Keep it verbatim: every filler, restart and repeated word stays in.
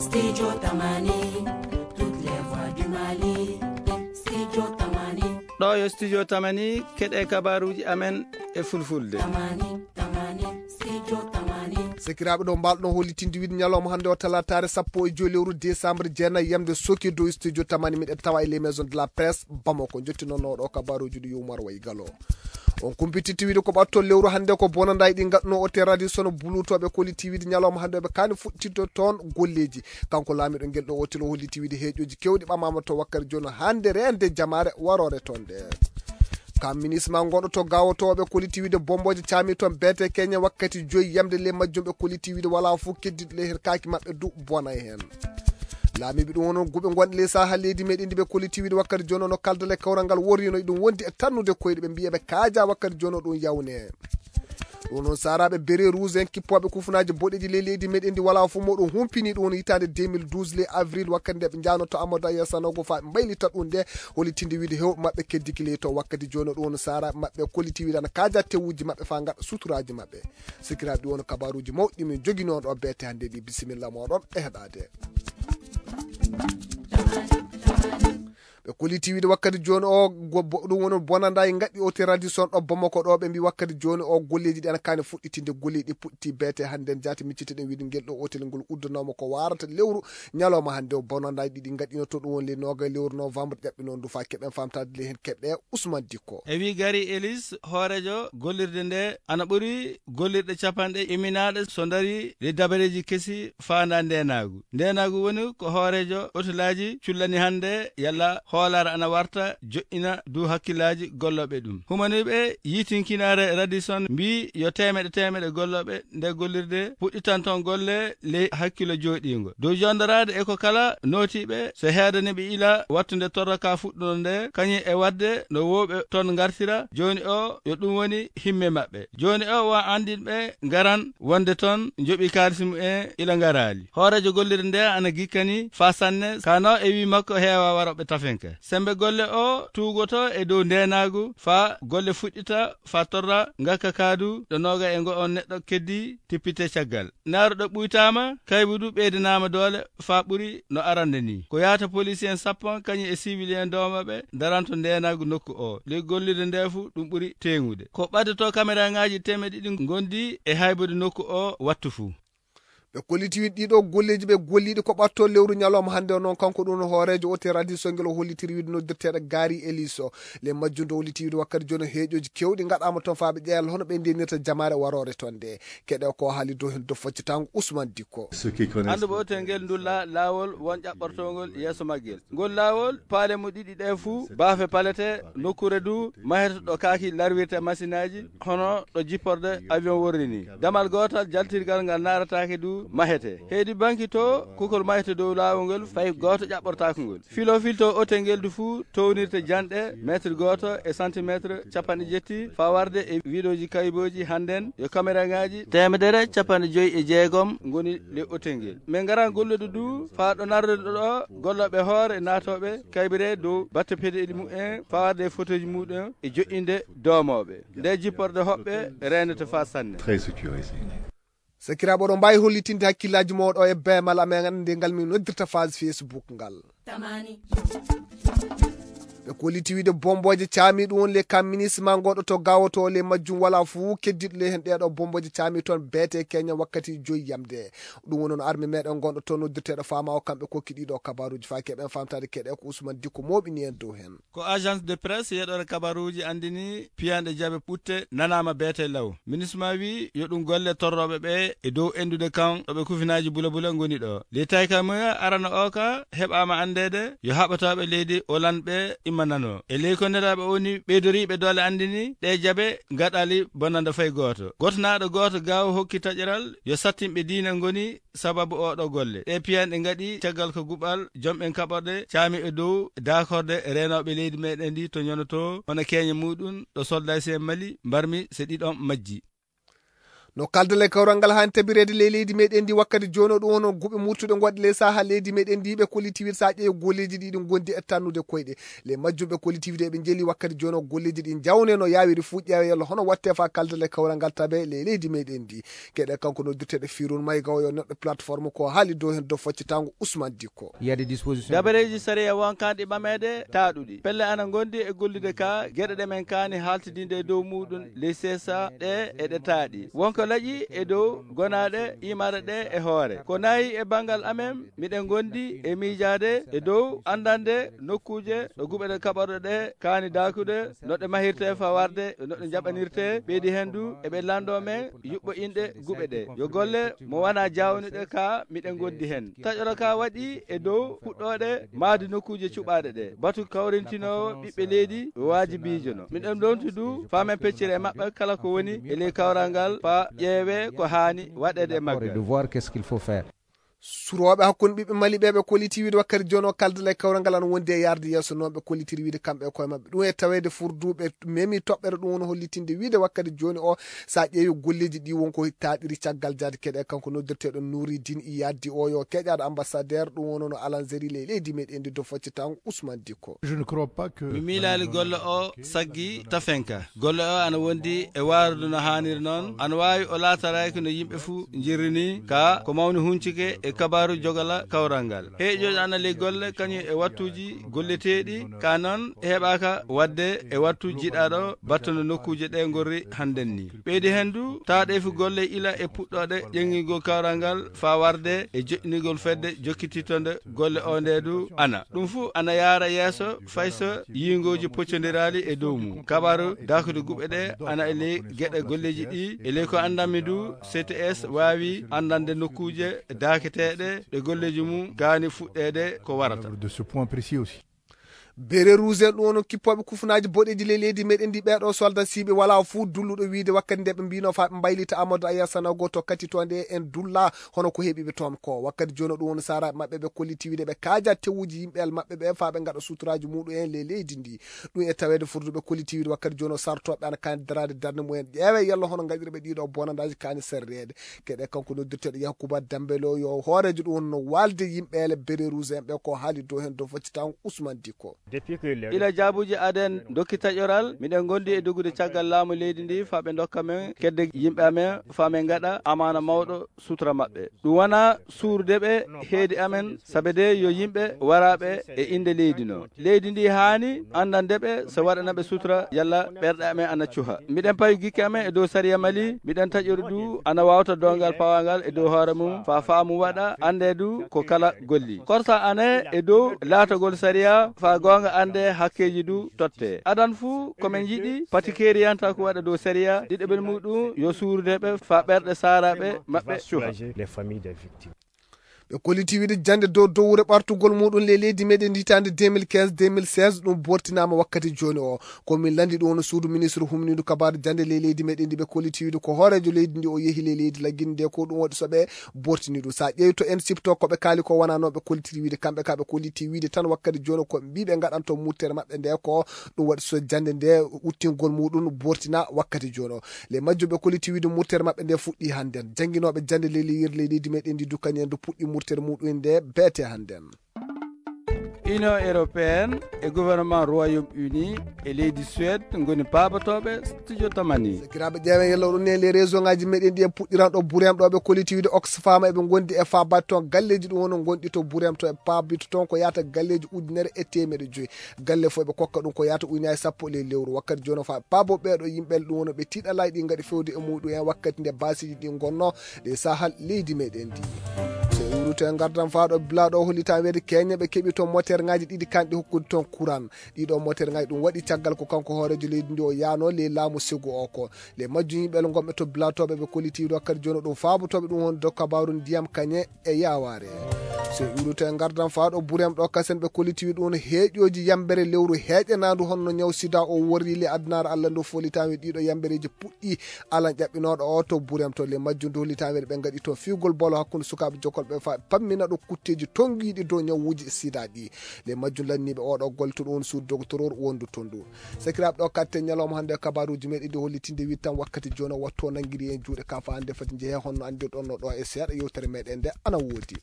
Studio Tamani, toutes les voix du Mali. Studio Tamani. Ɗoo yo Studio Tamani, keɗee kabaaruuji amen e Fulfulde. Tamani, Tamani, Studio Tamani. Sekiraaɓe, ɗo mbaal-ɗon hollitinde wiide ñalawma hannde o talaataare sappo e joy lewru décembre jeenayi yamde sooki dow Studio Tamani, miɗen tawa e les maisons de la presse Bamako. Njottinono ɗo kabaaruuji ɗi Umar Wayi Galo. On kumpititti wiide ko ɓattol lewru hannde ko bonandaay ɗi ngaɗnoo o terradi sono buluutooɓe kolliti wiide ñalawma hannde ɓe kaani fuɗtitto toon golleeji. Kanko laamiiɗo ngel ɗo otel o holliti wiide heeƴooji keewɗi ɓamaama to wakkati jooni hannde reende jamaare waroore toon nde. Kam minis ma ngonɗo to gaawotooɓe kolliti wiide bombooje caami toon beete keñe wakkati joyi yamde ley majjum ɓe kolliti wiide walaa fof keddiɗo ley heen kaaki maɓɓe du bonay heen. Laamiiɓe ɗum wono guɓe ngonɗe ley saha leydi meɗen ndi ɓe kolliti wiide wakkati jooni o no kaldal e kawral ngal worrino e ɗum wondi e tannude koyɗe ɓe mbiya ɓe kaaja wakkati jooni o ɗum yawne. Ɗum noon saaraaɓe bere rouge en kippooɓe kufunaaji boɗeeji ley leydi meɗen ndi walaa fof moɗum humpini ɗum woni hitaande deux mille douze ley avril wakkati nde ɓe njaanotoo Amadou Aya Sanogo faa ɓe mbaylita ɗum nde hollitinde wiide hewɓe maɓɓe keddiki ley to wakkati jooni o ɗum woni saaraaɓe maɓɓe kolliti wiide ana kaaja tewuji maɓɓe faa ngaɗa suturaaji maɓɓe. Sikiraaɓe ɗi won kabaaruuji mawɗi min njoginoo ɗo beete hannde ɗi. Bisimilla mooɗon e heɗaade. Ɓe kolliti wiide wakkati jooni o go- bo- ɗum woni bonandaay ngaɗɗi otel radio son ɗo Bamako ɗo ɓe mbi wakkati jooni o golleeji ɗi ana kaani fuɗɗitinde golleeji ɗi puɗɗiti beete hannde jaati micciti ɗen wiide ngel ɗo otel ngol uddanooma ko waarata lewru ñalawma hannde o bonandaay ɗiɗi ngaɗɗino to ɗum woni le noogay lewru novembre ƴaɓɓi noon du faa keɓen famtaade le heen keɓɗe Ousmane Dikko. E wii Gary Ellis, hooreejo gollirde ndee, ana ɓuri gollirɗe capanɗe iminaaɗe so ndarii ley dabareeji kesi faandaa ndeenaagu. Ndeenaagu woni ko hooreejo otelaaji cullani hannde yalla hoolaare ana warta joƴƴina duu hakkillaaji gollooɓe ɗum. Humaniiɓe yiitinkinaare Radisson mbii yo teemeɗe teemeɗe gollooɓe nde gollirde puɗɗitanton golle ley hakkillo jooɗiingo. Dow jondoraade e ko kala nootiiɓe, so heedaniiɓe ila wattunde torra ka fuɗɗuno nde, kañum e waɗde no woowɓe ton ngartira, jooni o yo ɗum woni himme maɓɓe. Jooni o won anndinɓe ngaran wonde ton njoɓi kaalisi mumen ila ngaraali. Hooreejo gollirde nde ana gikkani faa sanne, kano e wii makko heewaa warooɓe tafinka. Semmbe golle o tuugoto e dow ndeenaagu faa golle fuɗɗita faa torra ngakka kaadu ɗo nooga e ngo on neɗɗo keddi tippite caggal. Naaru ɗo ɓuytaama, kaybu du ɓeydanaama doole faa ɓuri no arande nii. Ko yaata polisiyen sappo kañum e siwiliyen doomooɓe daranto ndeenaagu nokku oo. Ley gollirde ndee fuu ɗum ɓuri teeŋude. Ko ɓaddotoo kameraaŋaaji teemeɗɗe ɗiɗi ngondi e haybude nokku oo wattu fuu. Ɓe kolliti wiide ɗiɗo golleeji ɓe golliiɗi ko ɓattoo lewru ñalawma hannde o noon kanko ɗum no hooreejo otel radio songel o hollitiri wiide noddirteeɗo Gary Ellis o. Ley majjum do holliti wiide wakkati jooni heeƴooji keewɗi ngaɗaama toon faa ɓe ƴeewa hono ɓe ndeenirta jamaare waroore toon nde. Keɗe ko haali dow heen dow foccitaango Ousmane Dikko. Annduɓe otel ngel ndulla laawol won ƴaɓɓortoongol yeeso maggel. Ngol laawol, paale mo ɗiɗi ɗee fuu, baafe palete, nokkuure du mahete ɗo kaaki larwirta masinaaji, hono ɗo jipporde avion worri nii. Damal gootal jaltirgal ngal naarataake du mahete. Heedi banki to, kukol mahete dow laawol ngol, fay gooto ƴaɓɓortaako ngol. Filoo filtoo otel ngel du fuu townirta janɗe meetir gooto e santimeetir capanɗe jetti, faa warde e wiidooji kaybooji hannden yo kameraaŋaaji teemedere capanɗe joy e jeegom ngoni ley otel ngel. Min ngaran gollude du faa ɗo narrude ɗo gollooɓe hoore naatooɓe kaybiree dow batte pedeeli mumen faa warde e fotooji muɗum e joƴƴinde doomooɓe. Nde jipporde hoɓɓe reenete faa sanne. Très sécurisé. Sakiraaɓe, oɗon mbaawi hollitinde hakkillaaji mooɗon e beemal amen nde ngal min noddirta page Facebook ngal. Ɓe kolliti wiide bombooje caami ɗum woni le kam minis ma ngonɗo to gawoto le majjum wala fuu keddiɗo le heen ɗeeɗo bombooje caami toon beete keña wakkati joyi yamde. Ɗum woni no arme meɗen ngonɗo toon noddirteeɗo faama o kamɓe kokki ɗiɗo kabaruuji faa keɓen famtaade keɗe ko Ousmane Dikko mooɓini en dow heen. Ko agence de presse yeɗore kabaruuji anndini piyanɗe jabe ɓutte nanaama beete law. Minisma wii yo ɗum golle torrooɓe ɓe e dow endude kan ɗo ɓe kufinaaji bulabula ngoni ɗo. Ley taykamuya arano o ka heɓaama anndeede yo haɓatooɓe leydi Oland ɓe immanano. E ley ko nelaaɓe o ni ɓeydoriiɓe doole anndini ɗe jabe ngaɗali bonanda fay gooto. Gotonaaɗo gooto gaawo hokki taƴeral yo sattinɓe diina ngoni sababu oo ɗoo golle. Ɗee piyanɗe ngaɗi caggal ko guɓal jom'en kaɓorɗe caami e dow daakorde reenooɓe leydi meɗen ndi to ñonoto hono keeña muɗum ɗo soldaasi'en Mali mbarmi so ɗiɗon majji. No kaldal e kawral ngal haani tabireede ley leydi meɗen ndi wakkati jooni o, ɗum woni guɓe murtuɗe ngoɗɗe ley saha leydi meɗen ndi, ɓe kolliti wiide so a ƴeewi golleeji ɗi ɗi ngondi e tannude koyɗe. Ley majjum ɓe kolliti wiide eɓe njeli wakkati jooni o golleeji ɗi njawne no yaawiri fuu ƴeewe yalla hono watte fa kaldal e kawral ngal tabe ley leydi meɗen ndi. Keɗe kanko noddirteɗo Firun Mayga o yo neɗɗo plateforme ko haali dow heen dow foccitaango Ousmane Dikko. Il y a des dispositions. Dabareeji sariya wonkanɗi ɓameede taaɗuɗi. Pelle ana ngondi e gollude ka geɗe ɗe men kaani haaltidinde e dow muuɗum ley seesa ɗe e ɗe taaɗi. Wonko laƴi e dow gonaaɗe imaare ɗe e hoore. Ko nayi e banngal amen, miɗen ngondi e miijaade e dow anndande nokkuuje ɗo guɓe ɗe kaɓorɗe ɗe kaani daakude, no ɗe mahirtee faa warde e no ɗe njaɓanirtee. Ɓeydi heen du eɓe lanndoo men yuɓɓo inɗe guɓe ɗe. Yo golle mo wanaa jaawniɗe ka miɗen ngondi heen. Taƴoro ka waɗi e dow puɗɗooɗe mahdi nokkuuje cuɓaaɗe ɗe. Batu kawrintinoowo ɓiɓɓe leydi waajibiijo no. Miɗen lonti du faa men peccira e maɓɓe kala ko woni e ley kawral ngal faa ƴeewee ko haani waɗeede e maggal. De voir qu'est-ce qu'il faut faire. Surooɓe hakkunde ɓiɓɓe Mali ɓe ɓe kolliti wiide wakkati jooni o kaldal e kawral ngal ana wondi e yaarde yeeso noon ɓe kollitiri wiide kamɓe e koye maɓɓe. Ɗum e taweede furdu ɓe memi toɓɓere ɗum woni hollitinde wiide wakkati jooni o so a ƴeewi golleeji ɗi wonko taaɗiri caggal jaade keɗe kanko noddirteeɗo Nouridine Iyaddi o yo keƴaaɗo ambassadeur ɗum wonono Alanzeri ley leydi meɗen ndi dow foccitaango Ousmane Dikko. Je ne crois pas que. Mi miilaali golle o saggi tafenka. Golle o ana wondi e waarude no haaniri noon. Ana waawi o laataraaki no yimɓe fuu njirri nii. Ka ko mawni huncike e kabaaru jogala kawral ngal. Heeƴoojo ana ley golle kañum e wattuuji golleteeɗi. Ka noon heɓaaka waɗde e wattu jiɗaaɗo battude nokkuuje ɗe ngorri hannden nii. Ɓeydi heen du taaɗeefi golle ila e puɗɗooɗe ƴeŋngingol kawral ngal faa warde e joƴƴinigol fedde jokkitittonde golle o nde du ana. Ɗum fuu ana yaara yeeso fay so yiingooji poccondiraali e dow mum. Kabaaru daakude guɓe ɗe ana e ley geɗe golleeji ɗi e ley ko anndanmi du C T S waawi anndande nokkuuje daaketeeɗe ɗe golleeji mum gaani fuɗɗeede ko warata. De ce point précis aussi. Bérets rouges en ɗum woni kippooɓe kufunaaji boɗeeji ley leydi meɗen ndi ɓeeɗo soldat siɓe walaa fuu dulluɗo wiide wakkati nde ɓe mbino faa ɓe mbaylita Amadou Aya Sanogo to kati to nde en dulla hono ko heɓi ɓe toon ko. Wakkati jooni o ɗum woni saaraaɓe maɓɓe ɓe kolliti wiide ɓe kaaja tewuji yimɓe el maɓɓe ɓe faa ɓe ngaɗa suturaaji muɗum en ley leydi ndi. Ɗum e taweede furduɓe kolliti wiide wakkati jooni o sartooɓe ana kaani daraade darnde mumen ƴeewe yalla hono ngaɗirɓe ɗiɗo bonandaaji kaani serreede. Keɗe kanko noddirteeɗo Yakuba Dambelo yo hooreejo ɗum woni no waalde yimɓe ele Bérets rouges en ɓe ko haali dow heen dow foccitaango Ousmane Dikko. Ila jaabuuji aden ndokki taƴoral, miɗen ngondi e dogude caggal laamu leydi ndi faa ɓe ndokka men kedde yimɓe amen faa men ngaɗa amaana mawɗo sutura maɓɓe. Ɗum wonaa suurude ɓe heedi amen, sabe de yo yimɓe waraaɓe e innde leydi no. Leydi ndi haani anndande ɓe so waɗana ɓe sutura yalla ɓerɗe amen ana cuha. Miɗen pawi gikke amen e dow sariya Mali, miɗen taƴori du ana waawta doongal pawangal e dow hoore mum faa faamu waɗa anndee du ko kala golli. Korsa ane e dow laatagol sariya faa goonga anndee hakkeeji du tottee. Adan fuu ko men njiɗi pati keeriyantaa ko waɗa dow sariya ɗiɗaɓel muɗum yo suurude ɓe faa ɓerɗe saaraaɓe maɓɓe cuha. Ɓe kolliti wiide jannde dow dowre ɓartugol muɗum ley leydi meɗen hitaande deux mille quinze deux mille seize ɗum bortinaama wakkati jooni o. Ko min lanndi ɗum woni suudu ministre humnindu kabaaru jannde ley leydi meɗen ndi ɓe kolliti wiide ko hooreejo leydi ndi o yehi ley leydi laggindi nde ko ɗum waɗi so ɓe bortini ɗum. So a ƴeewi to en sipto ko ɓe kaali ko wonaa noon ɓe kollitiri wiide kamɓe ka ɓe kolliti wiide tan wakkati jooni ko mbiiɓe ngaɗanto murtere maɓɓe nde ko ɗum waɗi so jannde nde uttingol muɗum bortina wakkati jooni o. Ley majjum ɓe kolliti wiide murtere maɓɓe nde fuɗɗi hannden. Jannginooɓe jannde ley leyirle leydi meɗen ndi du kañum en du puɗɗi murtere muɗum nde beete hannden. Union européenne e gouvernement Royaume-Uni e leydi Suède ngoni paabotooɓe studio Tamani. Sakiraaɓe ƴeewen yalla oɗon ne les réseau ngaji meɗen ɗi en puɗɗiran ɗo Burem ɗo ɓe kolliti wiide Oxfam eɓe ngondi e faabaade toon galleeji ɗum woni gonɗi to Burem to e paabito toon ko yaata galleeji ujunere e teemeɗe joyi. Galle fof eɓe kokka ɗum ko yaata ujunaaji sappo ley lewru. Wakkati jooni o faa paabo ɓeeɗo yimɓe ɗum woni ɓe tiiɗalaaji ɗi ngaɗi fewde e muɗum en wakkati nde baasiiji ɗi ngonno ɗe sahal leydi meɗen ndi. So en wuurito e ngardan faa ɗo bila ɗo hollitaa weede keñe ɓe keɓi toon moteer ngaji ɗiɗi kanɗi hokkude toon kuran. Ɗiɗo moteer ngaji ɗum waɗi caggal ko kanko hooreejo leydi ndi o yaano ley laamu segu o ko. Ley majjum yimɓe gonɓe to bila to ɓe ɓe kolliti wakkati jooni o ɗum faabotooɓe ɗum woni dow kabaaru ndiyam kañe e yaawaare. So iwruto e ngardan faa ɗo burem ɗo kasen ɓe kollitiwi ɗum heeƴooji yambere lewru heeƴanaandu honno ñaw sida o worri le addunaare Allah ndu folitaami ɗiɗo yambereeji puɗɗi alan ƴaɓɓinooɗo o to burem to le majjum ndu holitaami ɓe ngaɗi toon fiwgol bolo hakkunde sukaaɓe jokolɓe faa pammina ɗo kutteeji tongiiɗi dow ñawuuji sida ɗi le majjum lanniiɓe oɗo golle to ɗum suudu dogotoroor wondu toon ndu. Sakiraaɓe ɗo katte ñalawma hannde e kabaaruuji meɗen ɗi hollitinde wittan wakkati jooni o wattu o nanngiri en juuɗe ka faa hannde fati njehee honno anndirɗon no ɗo e seeɗa yewtere meɗen nde ana woodi.